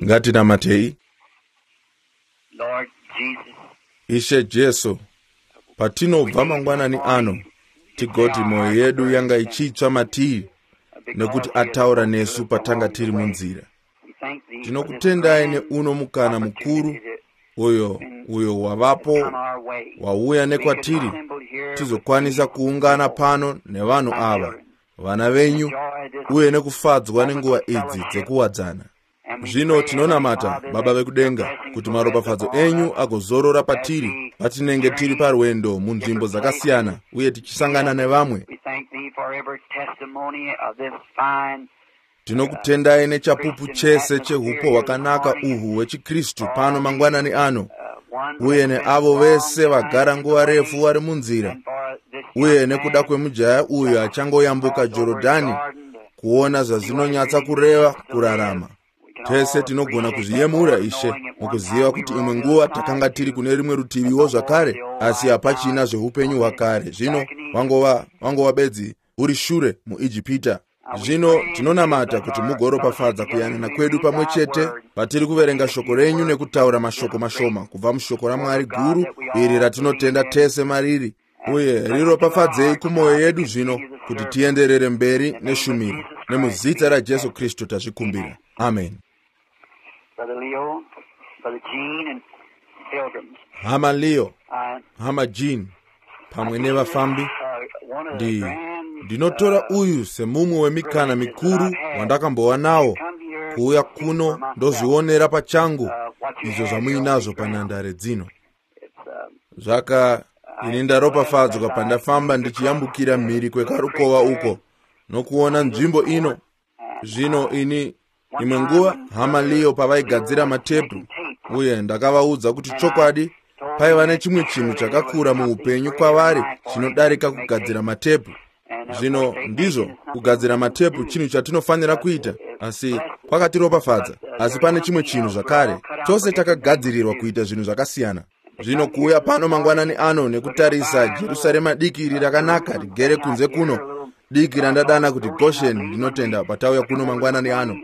Ngatinamatei. Lord Jesus, Ishe Jesu, patinobva mangwanani ano, tigoti mwoyo yedu yanga ichitsva matiri nekuti ataura nesu patanga tiri munzira. Tinokutendai neuno mukana mukuru uyo wavapo wauya nekwatiri tizokwanisa kuungana pano nevanhu ava, vana venyu, uye nekufadzwa nenguva idzi dzekuwadzana. Zvino tinonamata, Baba vekudenga, kuti maropafadzo enyu agozorora patiri patinenge tiri parwendo munzvimbo dzakasiyana uye tichisangana nevamwe. We thank thee for every testimony of this fine Tinokutendai nechapupu chese chehupo hwakanaka uhu hwechiKristu pano mangwanani ano, uye neavo vese vagara nguva refu vari munzira, uye nekuda kwemujaya uyu achangoyambuka Jorodhani kuona zvazvinonyatsa kureva kurarama. Tese tinogona kuzviyemura, Ishe, mukuziva kuti imwe nguva takanga tiri kune rimwe rutiviwo zvakare, asi hapachina zveupenyu hwakare. Zvino wangova bedzi uri shure muIjipita. Zvino tinonamata kuti mugoropafadza kuyanana kwedu pamwe chete patiri kuverenga shoko renyu nekutaura mashoko mashoma kubva mushoko raMwari guru iri ratinotenda tese mariri, uye riropafadzei kumwoyo yedu zvino kuti tienderere mberi neshumiro. Nemuzita raJesu Kristu tazvikumbira. Amen. Brother Leo, Brother Gene, and Pilgrims. Hama Leo, Hama Jean, pamwe nevafambi, ndinotora uyu semumwe wemikana mikuru wandakambova nawo kuuya kuno ndozvionera pachangu izvo zvamuinazvo panhandare dzino. Zvaka ini ndaropafadzwa pandafamba ndichiyambukira mhiri kwekarukova uko nokuona nzvimbo ino. Zvino ini imwe nguva Hama Leo pavaigadzira matepu, uye ndakavaudza kuti chokwadi paiva nechimwe chinhu chakakura muupenyu kwavari chinodarika kugadzira matepu. Zvino ndizvo, kugadzira matepu chinhu chatinofanira kuita, asi kwakatiropafadza. Asi pane chimwe chinhu zvakare, tose takagadzirirwa kuita zvinhu zvakasiyana. Zvino kuuya pano mangwanani ano nekutarisa Jerusarema diki iri rakanaka rigere kunze kuno, diki randadana kuti Goshen, ndinotenda patauya kuno mangwanani ano.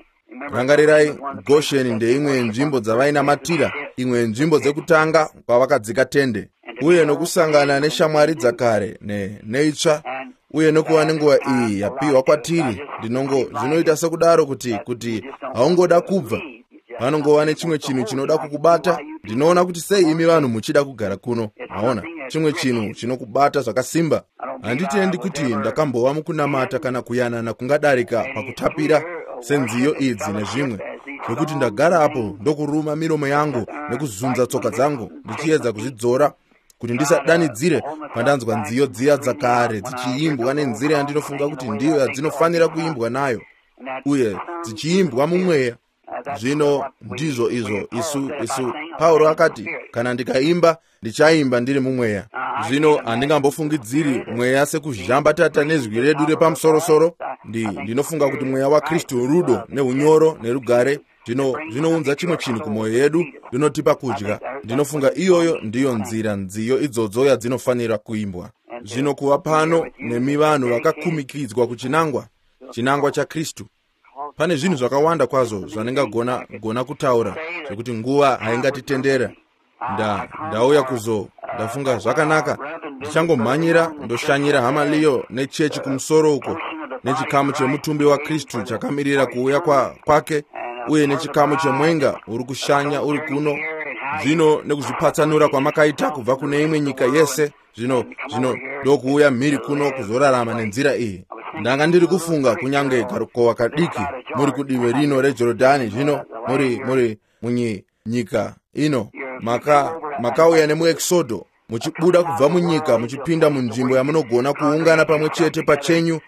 Rangarirai, Goshen ndeimwe yenzvimbo dzavainamatira, imwe yenzvimbo dzekutanga kwavakadzika tende, uye nokusangana neshamwari dzakare neitsva, uye nokuva nenguva iyi yapiwa kwatiri. Zvinoita sekudaro kuti haungoda kubva. Panongova nechimwe chinhu chinoda kukubata. Ndinoona kuti sei imi vanhu muchida kugara kuno. Maona, chimwe chinhu chinokubata zvakasimba. Handitendi kuti ndakambova mukunamata kana kuyanana kungadarika pakutapira senziyo idzi nezvimwe, zvekuti ndagara apo ndokuruma miromo yangu nekuzunza tsoka dzangu ndichiedza kuzvidzora kuti ndisadanidzire pandanzwa nziyo dziya dzakare dzichiimbwa nenzira yandinofunga kuti ndiyo yadzinofanira kuimbwa nayo, uye dzichiimbwa mumweya. Zvino ndizvo izvo isu Pauro akati, kana ndikaimba ndichaimba ndiri mumweya. Zvino handingambofungidziri mweya sekuzhambatata nezwi redu repamusorosoro. Ndinofunga kuti mweya waKristu rudo neunyoro nerugare zvinounza chimwe chinhu kumwoyo yedu, rinotipa kudya. Ndinofunga iyoyo ndiyo nzira nziyo idzodzo yadzinofanira kuimbwa. Zvino kuva pano nemi vanhu vakakumikidzwa kuchinangwa, chinangwa chaKristu. Pane zvinhu zvakawanda kwazvo zvandingagona kutaura zvekuti nguva haingatitendera. Ndauya kuzo ndafunga zvakanaka, ndichangomhanyira ndoshanyira Hama Leo nechechi kumusoro uko, nechikamu chemutumbi waKristu chakamirira kuuya kwake, uye nechikamu chemwenga uri kushanya uri kuno. Zvino nekuzvipatsanura kwamakaita kubva kune imwe nyika yese, zvino ndokuuya mhiri kuno kuzorarama nenzira iyi. Ndanga ndiri kufunga kunyange karukova kadiki muri kudivi rino reJorodhani, zvino muri munyika ino makauya nemuExodo, muchibuda kubva munyika muchipinda munzvimbo yamunogona kuungana pamwe chete pachenyu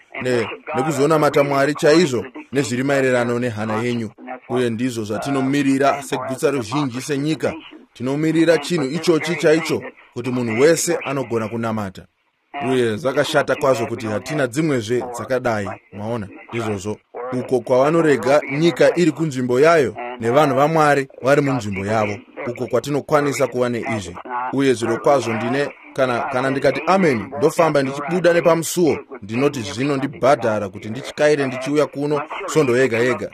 nekuzonamata Mwari chaizvo nezviri maererano nehana yenyu. Uye ndizvo zvatinomirira segutsa ruzhinji senyika. Tinomirira chinhu ichochi chaicho, kuti munhu wese anogona kunamata. Uye zvakashata kwazvo kuti hatina dzimwezve dzakadai. Maona, ndizvozvo. Uko kwavanorega nyika iri kunzvimbo yayo nevanhu vaMwari vari munzvimbo yavo, uko kwatinokwanisa kuva neizvi. Uye zvirokwazvo ndine Kana ndikati ameni, ndofamba ndichibuda nepamusuo, ndinoti zvino ndibhadhara kuti ndichikaire ndichiuya kuno svondo yega yega,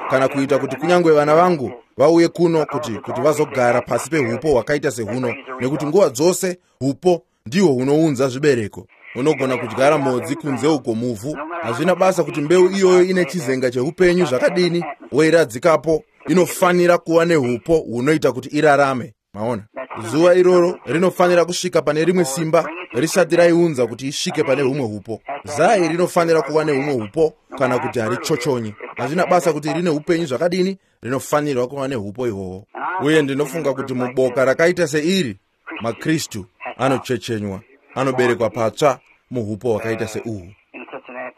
kana kuita kuti kunyange vana vangu vauye kuno kuti vazogara pasi pehupo hwakaita sehuno, nekuti nguva dzose hupo ndihwo hunounza zvibereko. Unogona kudyara mhodzi kunze uko muvhu, hazvina basa kuti mbeu iyoyo ine chizenga cheupenyu zvakadini, woiradzikapo, inofanira kuva nehupo hunoita kuti irarame. Maona, zuva iroro rinofanira kusvika pane rimwe simba risati raiunza kuti isvike pane humwe hupo. Zai rinofanira kuva nehumwe hupo, kana kuti harichochonyi. Hazvina basa kuti rine upenyu zvakadini, rinofanirwa kuva nehupo ihwohwo. Uye ndinofunga kuti muboka rakaita seiri, maKristu anochechenywa, anoberekwa patsva muhupo hwakaita seuhu.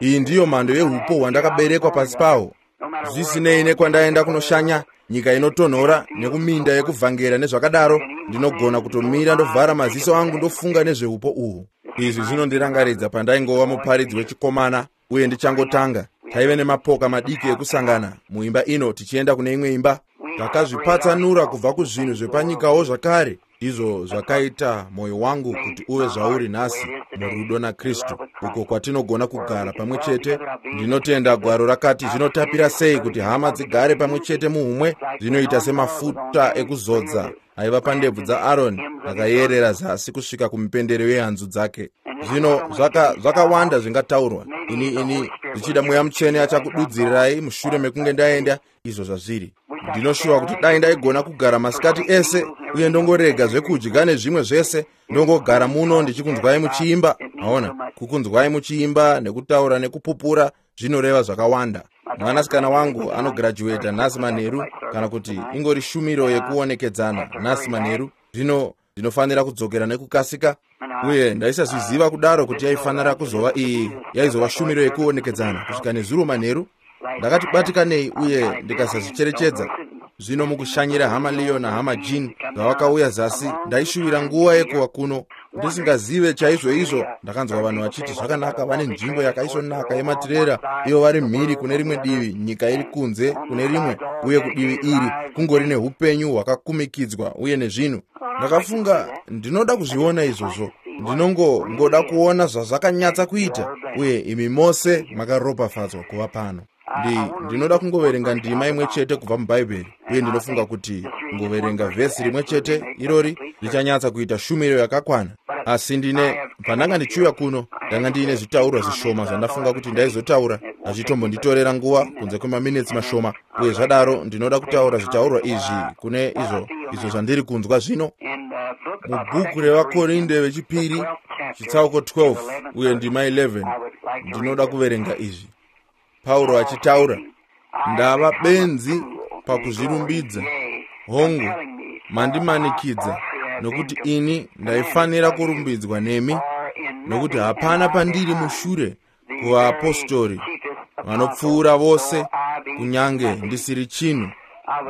Iyi ndiyo mhando yehupo hwandakaberekwa pasi paho. Zvisinei nekwandaenda kunoshanya, nyika inotonhora nekuminda yekuvhangera nezvakadaro, ndinogona kutomira ndovhara maziso angu ndofunga nezvehupo uhu. Izvi zvinondirangaridza pandaingova muparidzi wechikomana uye ndichangotanga. Taive nemapoka madiki ekusangana muimba ino tichienda kune imwe imba. Takazvipatsanura kubva kuzvinhu zvepanyikawo zvakare. Ndizvo zvakaita mwoyo wangu kuti uve zvauri nhasi murudo naKristu, uko kwatinogona kugara pamwe chete. Ndinotenda gwaro rakati zvinotapira sei kuti hama dzigare pamwe chete muhumwe, zvinoita semafuta ekuzodza aiva pandebvu dzaAroni akayerera zasi kusvika kumipendero yehanzu dzake. Zvino zvakawanda zvingataurwa. Ini zvichida Mweya Mutsvene achakududzirirai mushure mekunge ndaenda izvo zvazviri. Ndinoshuwa kuti dai ndaigona kugara masikati ese uye ndongorega zvekudya nezvimwe zvese, ndongogara muno ndichikunzwai muchiimba. Maona, kukunzwai muchiimba nekutaura nekupupura zvinoreva zvakawanda. Mwanasikana wangu anograduata nhasi manheru, kana kuti ingori shumiro yekuonekedzana nhasi manheru. Zvino ndinofanira kudzokera nekukasika, uye ndaisazviziva kudaro kuti yaifanira kuzova iyi yaizova shumiro yekuonekedzana kusvika nezuro manheru. Ndakati batikanei uye ndikasazvicherechedza. Zvino mukushanyira hama Leo nahama Jean zvavakauya zasi, ndaishuvira nguva yekuva kuno ndisingazive chaizvo izvo. Ndakanzwa vanhu vachiti zvakanaka, vane nzvimbo yakaisvonaka yematirera, ivo vari mhiri kune rimwe divi, nyika iri kunze kune rimwe, uye kudivi iri kungori neupenyu hwakakumikidzwa uye nezvinhu. Ndakafunga ndinoda kuzviona izvozvo, ndinongoda kuona zvazvakanyatsa kuita, uye imi mose makaropafadzwa kuva pano. Ndinoda kungoverenga ndima imwe chete kubva muBhaibheri, uye ndinofunga kuti kungoverenga vhesi rimwe chete irori richanyatsa kuita shumiro yakakwana. Asi pandanga ndichiuya kuno, ndanga ndiine zvitaurwa zvishoma zvandafunga kuti ndaizotaura, hazvitombonditorera nguva kunze kwemaminitsi mashoma. Uye zvadaro ndinoda kutaura zvitaurwa izvi kune izvo zvandiri kunzwa zvino. Mubhuku revaKorinde vechipiri chitsauko 12 uye ndima 11, ndinoda kuverenga izvi. Pauro achitaura, ndava benzi pakuzvirumbidza, hongu, mandimanikidza, nokuti ini ndaifanira kurumbidzwa nemi, nokuti hapana pandiri mushure kuvaapostori vanopfuura vose, kunyange ndisiri chinhu.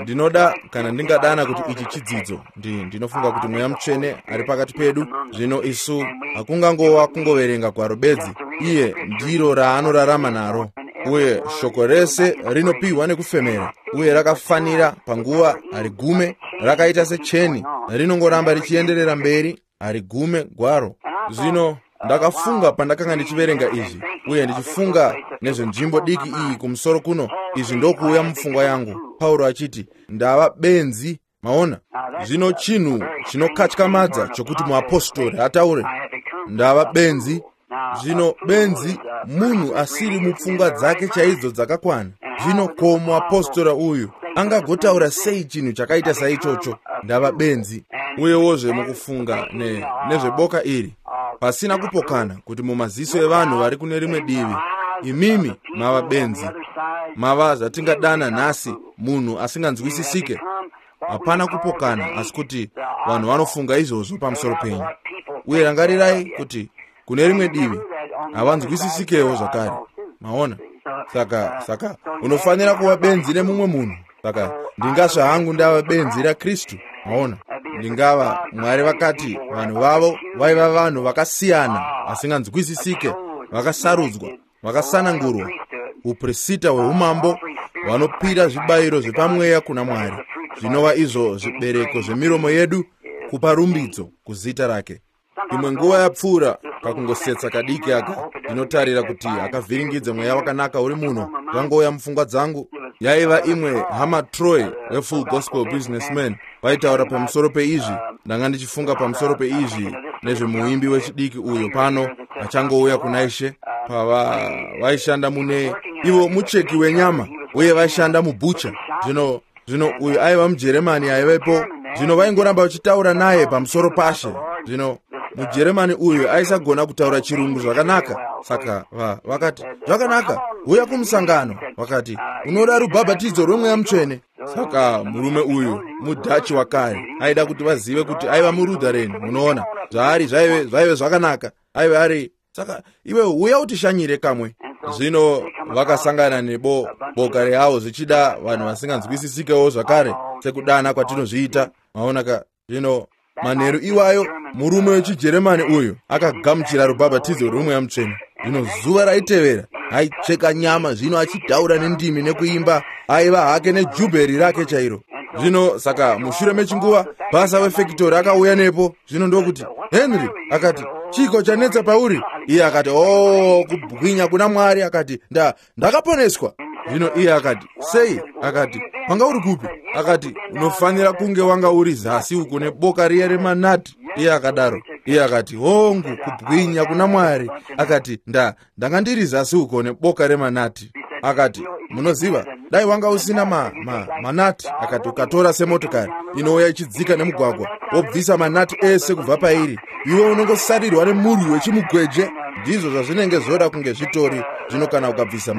Ndinoda, kana ndingadana kuti ichi chidzidzo, ndinofunga kuti Mweya Mutsvene ari pakati pedu. Zvino isu hakungangova kungoverenga gwaro bedzi, iye ndiro raanorarama naro, uye shoko rese rinopiwa nekufemera, uye rakafanira panguva, harigume, rakaita secheni, rinongoramba richienderera mberi, harigume gwaro. Zvino ndakafunga pandakanga ndichiverenga izvi, uye ndichifunga nezvenzvimbo diki iyi kumusoro kuno, izvi ndokuuya mupfungwa yangu. Pauro achiti, ndava benzi. Maona, zvino chinhu chinokatyamadza chokuti muapostori ataure, ndava benzi. Zvino benzi munhu asiri mupfungwa dzake chaidzo dzakakwana. Zvino ko muapostora uyu angagotaura sei chinhu chakaita saichocho? Ndava benzi. Uyewozve mukufunga nezveboka iri, pasina kupokana kuti mumaziso evanhu vari kune rimwe divi, imimi mava benzi, mava zvatingadana nhasi munhu asinganzwisisike. Hapana kupokana, asi kuti vanhu vanofunga izvozvo pamusoro penyu. Uye rangarirai kuti kune rimwe divi havanzwisisikewo zvakare. Maona, saka unofanira kuva benzi nemumwe munhu. Saka ndingasva hangu ndava benzi raKristu. Maona, ndingava Mwari vakati vanhu vavo vaiva vanhu vakasiyana, vasinganzwisisike, vakasarudzwa, vakasanangurwa, uprista hweumambo, vanopira zvibayiro zvepamweya kuna Mwari, zvinova izvo zvibereko zvemiromo yedu kupa rumbidzo kuzita rake. Imwe nguva yapfuura, kakungosetsa kadiki aka, ndinotarira kuti akavhiringidze mweya wakanaka uri muno, zvangouya mupfungwa dzangu. Yaiva imwe hama Troy weFull Gospel Businessman vaitaura pamusoro peizvi. Ndanga ndichifunga pamusoro peizvi nezvemuimbi wechidiki uyo pano achangouya kuna Ishe, pava vaishanda mune ivo mucheki wenyama uye vaishanda mubhucha. Zvino uyu aiva muJeremani aivepo. Zvino vaingoramba vachitaura naye pamusoro pashe. Zvino muJeremani uyu aisagona kutaura chirungu zvakanaka, saka vakati, zvakanaka, uya kumusangano. Vakati, unoda rubhabhatidzo rwemweya mutsvene. Saka murume uyu muDhachi wakare aida kuti vazive kuti aiva muLutheran. Munoona zvaari, zvaive zvakanaka, aive ari. Saka iwe uya utishanyire kamwe. Zvino vakasangana neboka reavo zvichida vanhu vasinganzwisisikewo zvakare sekudana kwatinozviita. Maona ka? Zvino manheru iwayo murume wechiJeremani uyu akagamuchira rubhabhatidzo rwemweya mutsvene. Zvino zuva raitevera aicheka nyama, zvino achitaura nendimi nekuimba, aiva hake nejubheri rake chairo. Zvino saka mushure mechinguva basa wefekitori akauya nepo. Zvino ndokuti, Henry, akati, chiko chanetsa pauri? Iye akati, oh, kubwinya kuna Mwari. Akati, ndakaponeswa. Zvino iye akati, sei? Akati, wanga uri kupi? Akati, unofanira kunge wanga uri zasi uko neboka riya remanati. Iye akadaro. Iye akati, hongu, kubwinya kuna Mwari. Akati, ndanga ndiri zasi uko neboka remanati. Akati, munoziva, dai wanga usina manati. Akati, ukatora semotokari inouya ichidzika nemugwagwa, wobvisa manati ese kubva pairi, iwe unongosarirwa nemurwi wechimugweje. Ndizvo zvazvinenge zvoda kunge zvitori. Zvino kana ukabvisa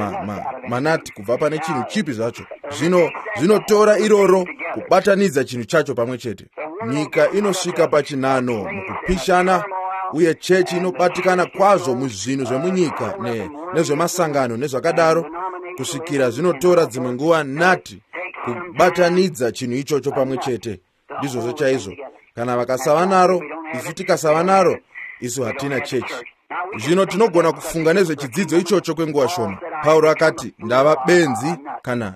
manati kubva pane chinhu chipi zvacho, zvino zvinotora iroro kubatanidza chinhu chacho pamwe chete. Nyika inosvika pachinhano mukupishana, uye chechi inobatikana kwazvo muzvinhu zvemunyika nezvemasangano nezvakadaro, kusvikira zvinotora dzimwe nguva nati kubatanidza chinhu ichocho pamwe chete. Ndizvozvo chaizvo. Kana vakasava naro, isu tikasava naro, isu hatina chechi. Zvino tinogona kufunga nezvechidzidzo ichocho kwenguva shoma. Pauro akati, ndava benzi kana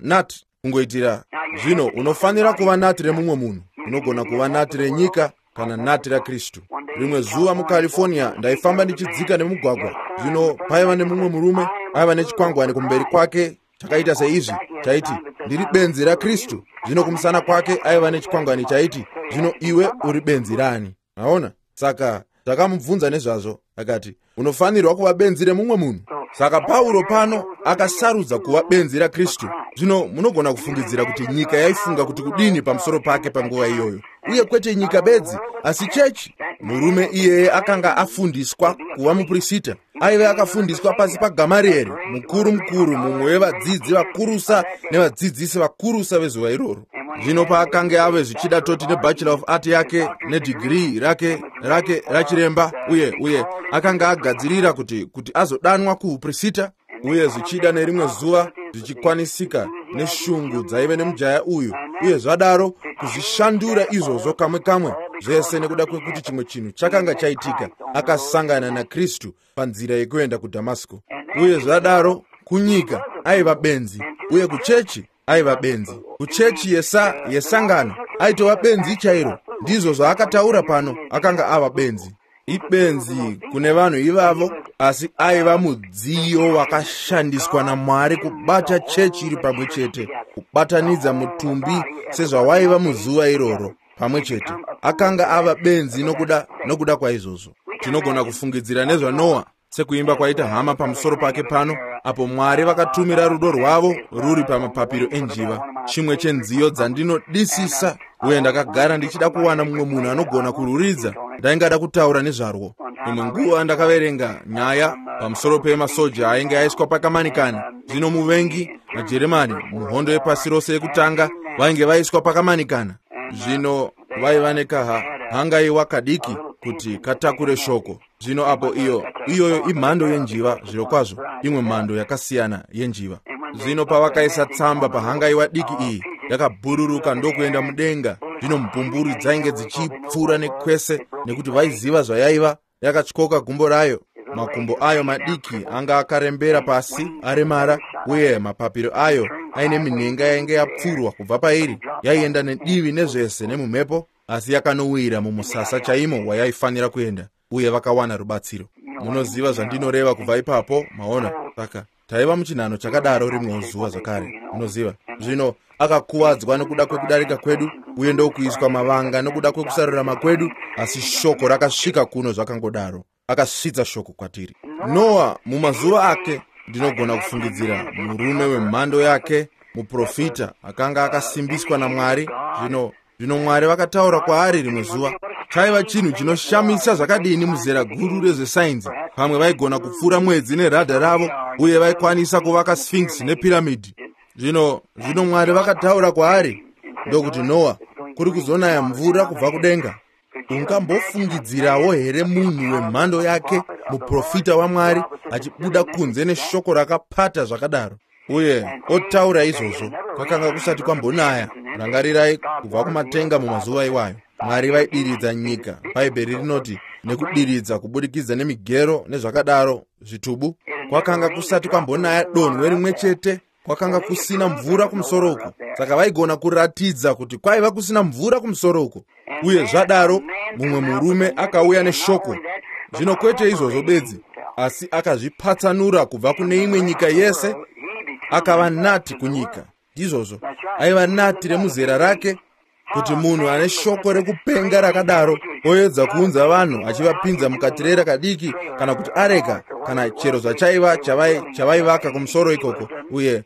nati kungoitira. Zvino unofanira kuva nati remumwe munhu. Unogona kuva nati renyika kana nati raKristu. Rimwe zuva muCalifornia ndaifamba ndichidzika nemugwagwa. Zvino paiva nemumwe murume aiva nechikwangwani kumberi kwake chakaita seizvi, chaiti, ndiri benzi raKristu. Zvino kumusana kwake aiva nechikwangwani chaiti, zvino iwe uri benzi rani? Maona? Saka takamubvunza nezvazvo, akati, unofanirwa kuva benzi remumwe munhu. Saka Pauro pano akasarudza kuva benzi raKristu. Zvino munogona kufungidzira kuti nyika yaifunga kuti kudini pamusoro pake panguva iyoyo. Uye kwete nyika bedzi, asi chechi. Murume iyeye akanga afundiswa kuva mupurisita. Aive akafundiswa pasi paGamarieri, mukuru mukuru, mumwe wevadzidzi vakurusa nevadzidzisi vakurusa vezuva iroro. Zvino paakange ave zvichida toti neBachelor of Art yake nedegree rake rachiremba, uye akanga agadzirira kuti azodanwa kuuprisita, uye zvichida nerimwe zuva zvichikwanisika neshungu dzaive nemujaya uyu, uye zvadaro kuzvishandura izvozvo kamwe kamwe zvese nekuda kwekuti chimwe chinhu chakanga chaitika. Akasangana naKristu panzira yekuenda kuDhamasiko, uye zvadaro kunyika aiva benzi, uye kuchechi aiva benzi. Kuchechi yesangano aitova benzi chairo. Ndizvo zvaakataura pano, akanga ava benzi. Ibenzi kune vanhu ivavo, asi aiva mudziyo wakashandiswa naMwari kubata chechi iri pamwe chete, kubatanidza mutumbi sezvawaiva muzuva iroro pamwe chete. Akanga ava benzi nokuda kwaizvozvo. Tinogona kufungidzira nezvaNoa, sekuimba kwaita hama pamusoro pake pano, apo Mwari vakatumira rudo rwavo ruri pamapapiro enjiva. Chimwe chenziyo dzandinodisisa, uye ndakagara ndichida kuwana mumwe munhu anogona kururidza. Ndaingada kutaura nezvarwo. Imwe nguva ndakaverenga nyaya pamusoro pemasoja ainge aiswa pakamanikana. Zvino muvengi maJeremani muhondo yepasi rose yekutanga vainge vaiswa pakamanikana. Zvino vaiva nekahangaiwa kadiki kuti katakure shoko. Zvino apo iyoyo imhando yenjiva, zvirokwazvo imwe mhando yakasiyana yenjiva. Zvino pavakaisa tsamba pahangaiwa diki iyi, yakabhururuka ndokuenda mudenga. Zvino mbumburi dzainge dzichipfuura nekwese, nekuti vaiziva zvayaiva. Yakatyoka gumbo rayo, makumbo ayo madiki anga akarembera pasi aremara, uye mapapiro ayo aine minhenga yainge yapfurwa kubva pairi, yaienda nedivi nezvese nemumhepo. Asi yakanowira mumusasa chaimo wayaifanira kuenda, uye vakawana rubatsiro. Munoziva zvandinoreva kubva ipapo, maona. Saka taiva muchinhano chakadaro rimwewo zuva zvakare, munoziva. Zvino akakuvadzwa nokuda kwekudarika kwedu, uye ndokuiswa mavanga nokuda kwekusarurama kwedu, asi shoko rakasvika kuno zvakangodaro. Akasvitsa shoko kwatiri. Noa mumazuva ake, ndinogona kufungidzira murume wemhando yake, muprofita akanga akasimbiswa naMwari. Zvino Mwari vakataura kwaari rimwe zuva. Chaiva chinhu chinoshamisa zvakadini muzera guru rezvesainzi. Pamwe vaigona kupfuura mwedzi neradha ravo, uye vaikwanisa kuvaka Sphinx nepiramidhi. Zvino Mwari vakataura kwaari ndokuti, Noa, kuri kuzonaya mvura kubva kudenga. Ungambofungidzirawo here munhu wemhando yake, muprofita waMwari, achibuda kunze neshoko rakapata zvakadaro, uye otaura izvozvo? Kwakanga kusati kwambonaya, rangarirai, kubva kumatenga mumazuva iwayo. Mwari vaidiridza nyika. Bhaibheri rinoti nekudiridza kubudikidza nemigero nezvakadaro, zvitubu. Kwakanga kusati kwambonaya donhwe rimwe chete. Kwakanga kusina mvura kumusoro uko. Saka vaigona kuratidza kuti kwaiva kusina mvura kumusoro uko. Uye zvadaro mumwe murume akauya neshoko. Zvino kwete izvozvo bedzi, asi akazvipatsanura kubva kune imwe nyika yese, akava nati kunyika. Ndizvozvo, aiva nati remuzera rake, kuti munhu ane shoko rekupenga rakadaro oedza kuunza vanhu achivapinza mukatirera kadiki, kana kuti areka, kana chero zvachaiva chavaivaka kumusoro ikoko. Uye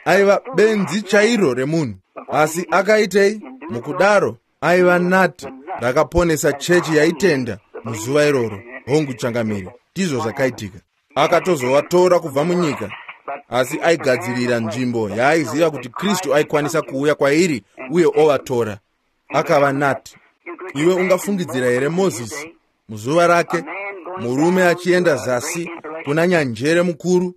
aiva benzi chairo remunhu. Asi akaitei? Mukudaro aiva nati rakaponesa chechi yaitenda muzuva iroro. Hongu changamire, ndizvo zvakaitika. Akatozovatora kubva munyika, asi aigadzirira nzvimbo yaaiziva kuti Kristu aikwanisa kuuya kwairi uye ovatora. Akava nati. Iwe ungafungidzira here Mozisi muzuva rake, murume achienda zasi kuna nyanjere mukuru?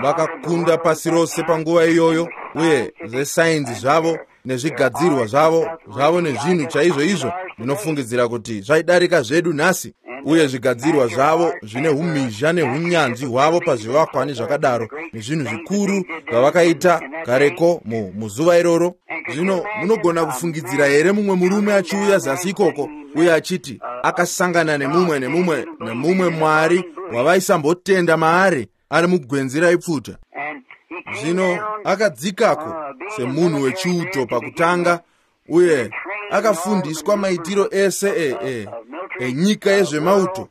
Vakakunda pasi rose panguva iyoyo, uye zvesainzi zvavo nezvigadzirwa zvavo nezvinhu chaizvo izvo ndinofungidzira kuti zvaidarika zvedu nhasi. Uye zvigadzirwa zvavo zvine umhizha neunyanzvi hwavo pazvivakwa nezvakadaro, nezvinhu zvikuru zvavakaita kareko muzuva iroro. Zvino munogona kufungidzira here mumwe murume achiuya zasi ikoko uye achiti akasangana nemumwe Mwari wavaisambotenda maari ari mugwenzi raipfuta? Zvino akadzikako semunhu wechiuto pakutanga, uye akafundiswa maitiro ese enyika yezvemauto.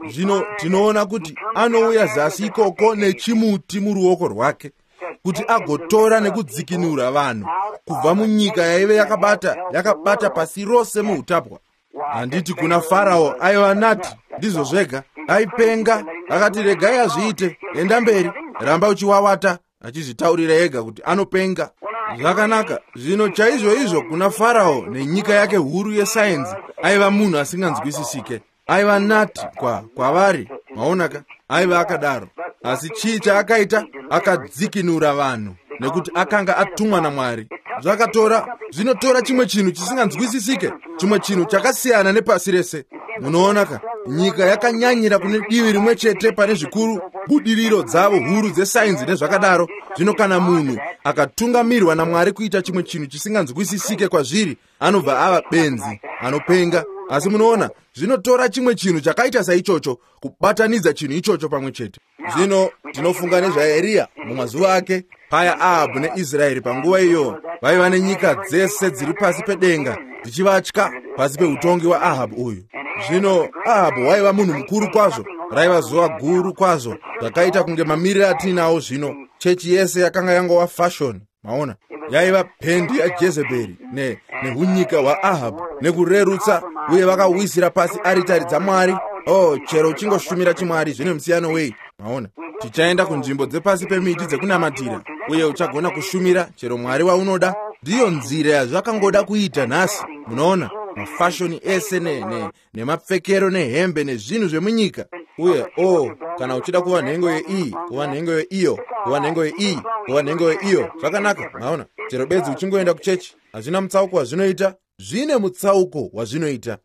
Zvino tinoona kuti anouya zasi ikoko nechimuti muruoko rwake, kuti agotora nekudzikinura vanhu kubva munyika yaive yakabata pasi rose muutapwa. Handiti kuna Farao aiva nati, ndizvo zvega, aipenga, akati regai azviite, enda mberi, ramba uchiwawata, achizvitaurira ega kuti anopenga. Zvakanaka. Zvino chaizvo izvo kuna Farao nenyika yake huru yesainzi, aiva munhu asinganzwisisike. Aiva nati kwavari, maonaka, aiva akadaro. Asi chii chaakaita? Akadzikinura vanhu nekuti akanga atumwa naMwari. Zvinotora chimwe chinhu chisinganzwisisike, chimwe chinhu chakasiyana nepasi rese. Munoonaka, nyika yakanyanyira kune divi rimwe chete pane zvikuru budiriro dzavo huru dzesainzi nezvakadaro. Zvino kana munhu akatungamirwa naMwari kuita chimwe chinhu chisinganzwisisike kwazviri, anobva ava benzi, anopenga. Asi munoona, zvinotora chimwe chinhu chakaita saichocho kubatanidza chinhu ichocho pamwe chete. Zvino tinofunga nezvaEriya mumazuva ake, paya Ahabhu neIsraeri panguva iyo vaiva nenyika dzese dziri pasi pedenga dzichivatya pasi peutongi hwaAhabhu uyu. Zvino Ahabhu waiva munhu mukuru kwazvo, raiva zuva guru kwazvo, zvakaita kunge mamiriro atinawo zvino. Chechi yese yakanga yangova fashion, maona, yaiva pendi yaJezebheri nehunyika hwaAhabhu nekurerutsa, uye vakawisira pasi aritari dzaMwari. Oh, chero uchingoshumira chimwari zvine musiyano wei, maona. Tichaenda kunzvimbo dzepasi pemiti dzekunamatira, uye uchagona kushumira chero Mwari waunoda. Ndiyo nzira yazvakangoda kuita nhasi. Munoona, mafashoni ese nemapfekero nehembe nezvinhu zvemunyika. Uye kana uchida kuva nhengo yeiyi, kuva nhengo yeiyo, kuva nhengo yeiyi, kuva nhengo yeiyo, zvakanaka, maona. Chero bedzi uchingoenda kuchechi, hazvina mutsauko wazvinoita. Zvine mutsauko wazvinoita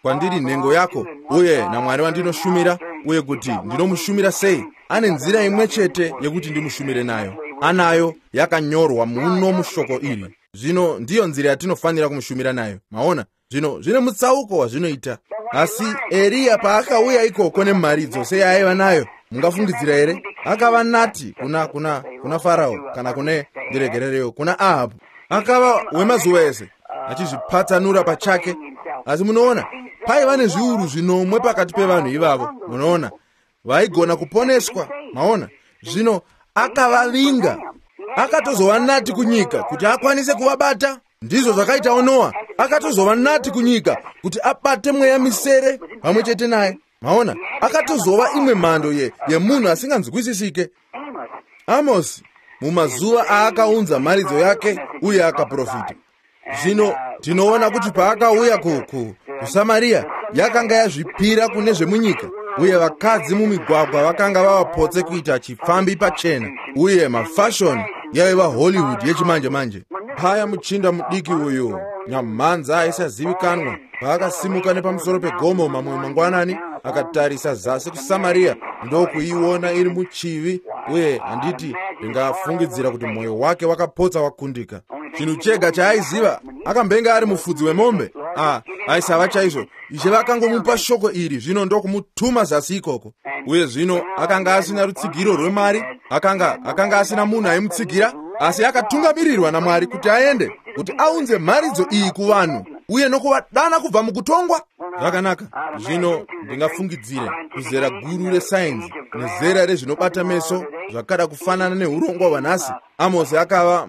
kwandiri nhengo yako uye naMwari wandinoshumira, uye kuti ndinomushumira sei. Ane nzira imwe chete yekuti ndimushumire nayo, anayo yakanyorwa muno mushoko iri. Zvino ndiyo nzira yatinofanira kumushumira nayo. Maona? Zvino zvine mutsauko wazvinoita. Asi Eriya paakauya ikoko nemharidzo seyaaiva nayo, mungafungidzira here? Akava nati kuna Farao, kana kune ndiregerereyo, kuna Ahabhu. Akava wemazuva ese achizvipatsanura pachake. Asi munoona, paiva nezviuru zvinomwe pakati pevanhu ivavo, munoona, vaigona kuponeswa. Maona? Zvino akavavinga, akatozova nati kunyika kuti akwanise kuvabata. Ndizvo zvakaitawo Noa, akatozova nati kunyika kuti abate mweya misere pamwe chete naye. Maona? Akatozova imwe mhando yemunhu asinganzwisisike. Amosi mumazuva aakaunza mharidzo yake uye akaprofita. Zvino tinoona kuti paakauya kuSamaria, yakanga yazvipira kune zvemunyika, uye vakadzi mumigwagwa vakanga vavapotse kuita chipfambi pachena, uye mafashoni yaiva Hollywood yechimanje manje. Paya muchinda mudiki uyu nyamhanza aisazivikanwa paakasimuka nepamusoro pegomo mamwe mangwanani, akatarisa zasi kuSamaria ndokuiona iri muchivi, uye handiti ndingafungidzira kuti mwoyo wake wakapotsa wakundika. Chinhu chega chaaiziva, akambenga ari mufudzi wemombe. Aisava chaizvo. Ishe vakangomupa shoko iri, zvino ndokumutuma zasi ikoko. Uye zvino akanga asina rutsigiro rwemari, akanga asina munhu aimutsigira, asi akatungamirirwa naMwari kuti aende, kuti aunze mharidzo iyi kuvanhu uye nokuvadana kubva mukutongwa. Zvakanaka. Zvino ndingafungidzire kuzera guru resainzi nezera rezvinobata meso zvakada kufanana neurongwa hwanhasi, Amosi akava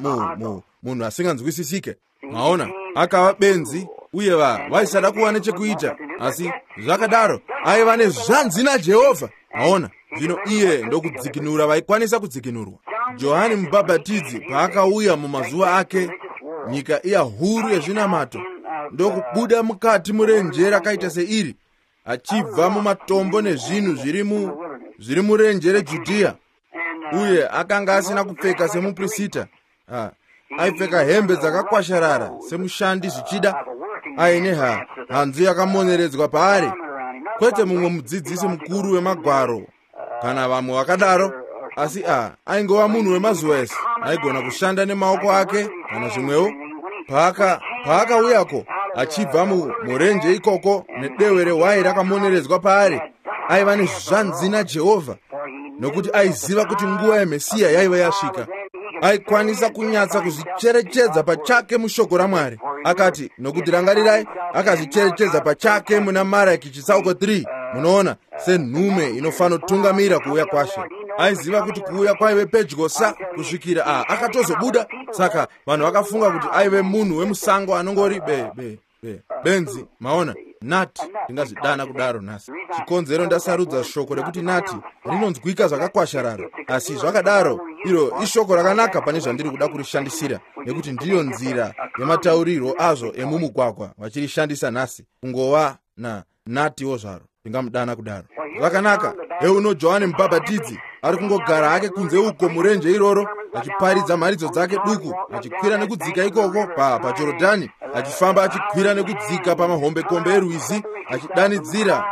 munhu asinganzwisisike. Maona? Akava benzi, uye vaisada kuva nechekuita, asi zvakadaro aiva nezvanzi naJehovha. Maona? Zvino iye ndokudzikinura vaikwanisa kudzikinurwa. Johani Mubhabhatidzi paakauya mumazuva ake, nyika iya huru yezvinamato ndokubuda mukati murenje rakaita seiri, achibva mumatombo nezvinhu zviri murenje reJudhiya. Uye akanga asina kupfeka semuprisita, aipfeka hembe dzakakwasharara semushandi zvichida, aine hanzu yakamoneredzwa paari, kwete mumwe mudzidzisi mukuru wemagwaro kana vamwe vakadaro, asi aingova munhu wemazuva ese, aigona kushanda nemaoko ake kana zvimwewo. Paakauyako achibva murenje ikoko nedehwe rehwai rakamoneredzwa paari, aiva nezvanzi naJehovha, nokuti aiziva kuti nguva yeMesiya yaiva yasvika. Aikwanisa kunyatsa kuzvicherechedza pachake mushoko raMwari. Akati, nokuti rangarirai, akazvicherechedza pachake muna Maraki chitsauko 3, munoona, senhume inofanotungamira kuuya kwashe. Aiziva kuti kuuya kwaive pedyosa kusvikira akatozobuda. Saka vanhu vakafunga kuti aive munhu wemusango anongori benzi. Maona? Nati, ndingazvidana kudaro nhasi. Chikonzero ndasarudza shoko rekuti nati rinonzwika zvakakwasharara, asi zvakadaro iro ishoko rakanaka pane zvandiri kuda kurishandisira, nekuti ndiyo nzira yemataurirwo azvo emumugwagwa vachirishandisa nhasi, kungova natiwo zvaro, ndingamudana kudaro. Zvakanaka. Heuno Johani Mubhabhatidzi ari kungogara hake kunze uko murenje iroro, achiparidza mharidzo dzake duku, achikwira nekudzika ikoko paJorodhani, achifamba achikwira nekudzika pamahombekombe erwizi, achidanidzira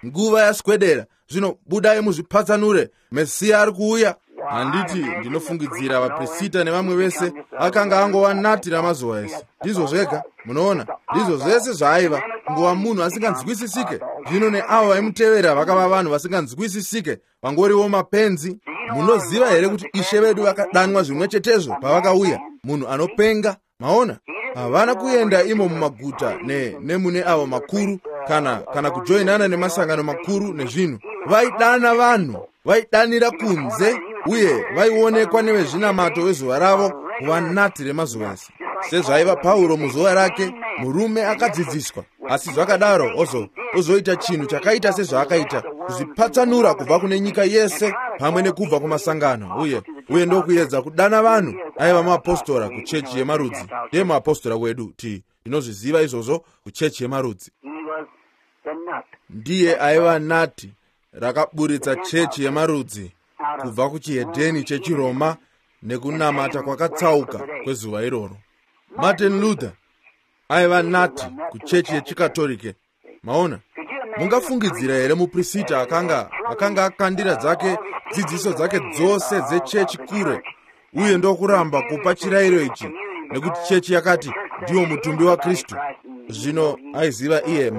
nguva yaswedera, zvino budai muzvipatsanure, Mesiya ari kuuya. Handiti ndinofungidzira vaprisita nevamwe vese akanga angova nati ramazuva ese. Ndizvo zvega, munoona, ndizvo zvese zvaaiva, kungova munhu asinganzwisisike. Zvino neavo vaimutevera vakava vanhu vasinganzwisisike, vangoriwo mapenzi. Munoziva here kuti Ishe vedu vakadanwa zvimwe chetezvo pavakauya, munhu anopenga? Maona? Havana kuenda imo mumaguta nemune avo makuru, kana kujoinana nemasangano makuru nezvinhu. Vaidana vanhu, vaidanira kunze, uye vaionekwa nevezvinamato vezuva ravo kuva nati remazuva ese. Sezvaiva Pauro muzuva rake, murume akadzidziswa, asi zvakadaro ozoita chinhu chakaita sezvaakaita, kuzvipatsanura kubva kune nyika yese pamwe nekubva kumasangano, uye ndokuedza kudana vanhu. Aiva muapostora kuchechi yemarudzi, ndiye muapostora wedu, tinozviziva izvozvo, kuchechi yemarudzi. Ndiye aiva nati rakaburitsa chechi yemarudzi kubva kuchihedheni chechiRoma nekunamata kwakatsauka kwezuva iroro. Martin Luther aiva nati kuchechi yechikatorike. Maona? Mungafungidzira here muprisita akanga akandira dzake dzidziso dzake dzose dzechechi kure, uye ndokuramba kupa chirayiro ichi Nekuti chechi yakati ndiwo mutumbi waKristu. Zvino aiziva iye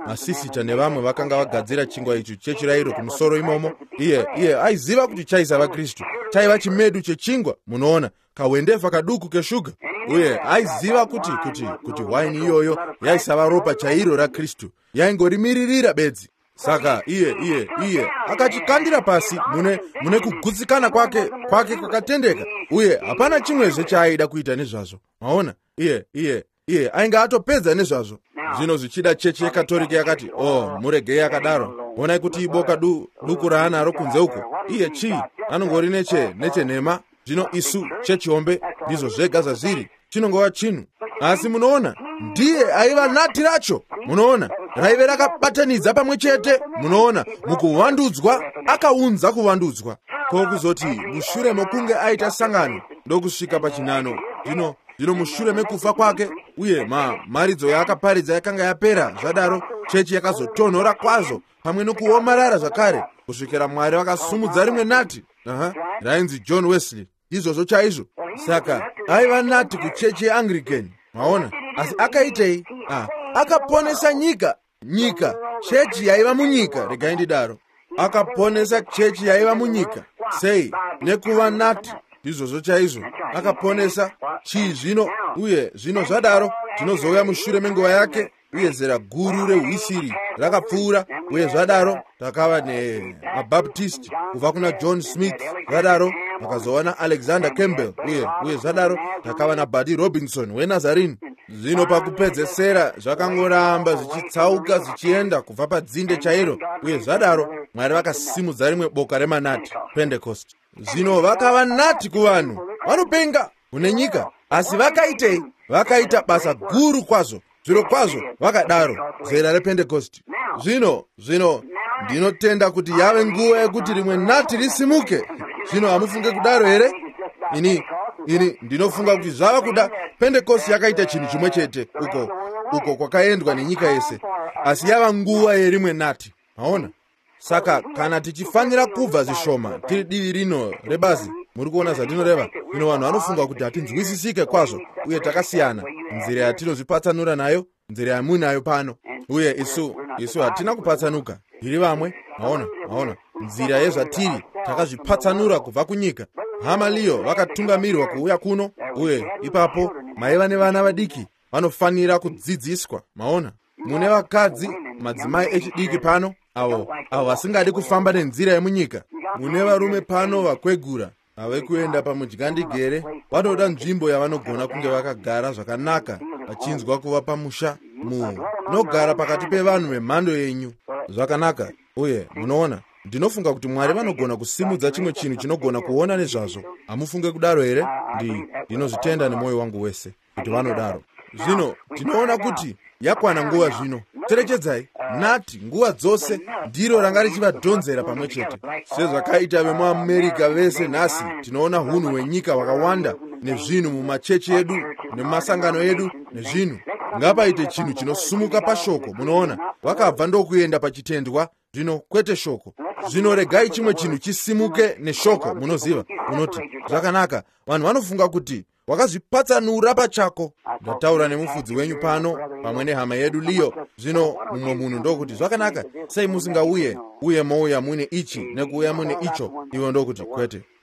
masisita nevamwe vakanga vagadzira chingwa ichi chechirayiro kumusoro imomo. Iye aiziva kuti chaisava Kristu, chaiva chimedu chechingwa, munoona, kawendefa kaduku keshuga. Uye aiziva kuti kuti waini iyoyo yaisava ropa chairo raKristu, yaingorimiririra bedzi. Saka iye akachikandira pasi mune kugutsikana kwake kwakatendeka, uye hapana chimwezve chaaida kuita nezvazvo. Maona, iye ainge atopedza nezvazvo. Zvino zvichida chechi yeKatorike yakati, "Oh, muregei akadaro. Onai kuti iboka duku raanaro kunze uko. Iye chii? Anongori nechenhema. Zvino isu chechi hombe ndizvo zvega zvazviri. Chinongova chinhu." Asi munoona, ndiye aiva nati racho. Munoona, raive rakabatanidza pamwe chete. Munoona, mukuvandudzwa akaunza kuvandudzwa. Ko kuzoti mushure mokunge aita sangano ndokusvika pachinhano, zvino mushure mekufa kwake uye mharidzo yaakaparidza yakanga yapera, zvadaro chechi yakazotonhora kwazvo pamwe nokuomarara zvakare kusvikira Mwari vakasumudza rimwe nati, rainzi John Wesley. Izvozvo chaizvo. Saka aiva nati kuchechi yeAnglican, maona. Asi akaitei? Akaponesa nyika, chechi yaiva munyika, regai ndidaro. Akaponesa chechi yaiva munyika. Sei? Nekuva nati. Izvozvo chaizvo. Akaponesa chii zvino? Uye zvino zvadaro tinozouya mushure menguva yake, uye zera guru rehwisiri rakapfuura, uye zvadaro takava nemabaptist kubva kuna John Smith, zvadaro takazova naAlexander Campbell, uye zvadaro takava naBuddy Robinson weNazarene. Zvino pakupedzesera zvakangoramba zvichitsauka zvichienda kubva padzinde chairo, uye zvadaro Mwari vakasimudza rimwe boka remanati, Pentecost. Zvino vakava nati kuvanhu vanopenga kune nyika, asi vakaitei? Vakaita basa guru kwazvo, zviro kwazvo vakadaro, zera rePentecost. Zvino ndinotenda kuti yave nguva yekuti rimwe nati risimuke. Zvino hamufunge kudaro here? Ini ndinofunga kuti zvava kuda. Pentecost yakaita chinhu chimwe chete uko kwakaendwa nenyika yese, asi yava nguva yerimwe nati. Maona? Saka kana tichifanira kubva zvishoma tiri divi rino rebazi, muri kuona zvandinoreva? Zvino vanhu vanofunga kuti hatinzwisisike kwazvo uye takasiyana nzira yatinozvipatsanura nayo, nzira yamuinayo pano, uye isu hatina kupatsanuka, tiri vamwe. Maona nzira yezvatiri, takazvipatsanura kubva kunyika. Hama Leo vakatungamirwa kuuya kuno, uye ipapo maiva nevana vadiki vanofanira kudzidziswa. Maona, mune vakadzi, madzimai echidiki pano avo vasingadi kufamba nenzira yemunyika. Mune varume pano vakwegura ave kuenda pamudyandigere, vanoda nzvimbo yavanogona kunge vakagara zvakanaka vachinzwa kuva pamusha. Munogara pakati pevanhu vemhando yenyu zvakanaka. Uye munoona, ndinofunga kuti Mwari vanogona kusimudza chimwe chinhu chinogona kuona nezvazvo. Hamufunge kudaro here? Ndinozvitenda nemwoyo wangu wese kuti vanodaro. Zvino tinoona kuti yakwana nguva zvino. Cherechedzai, nati nguva dzose ndiro ranga richivadhonzera pamwe chete. Sezvakaita vemuAmerica vese nhasi, tinoona hunhu hwenyika hwakawanda nezvinhu mumachechi edu nemumasangano edu nezvinhu. Ngapaite chinhu chinosumuka pashoko. Munoona, vakabva ndokuenda pachitendwa, zvino kwete shoko. Zvino regai chimwe chinhu chisimuke neshoko. Munoziva, unoti zvakanaka, vanhu vanofunga kuti wakazvipatsanura pachako. Ndataura nemufudzi wenyu pano pamwe nehama yedu Leo. Zvino mumwe munhu ndokuti, zvakanaka, sei musingauye uye mouya mune ichi nekuuya mune icho? Ivo ndokuti,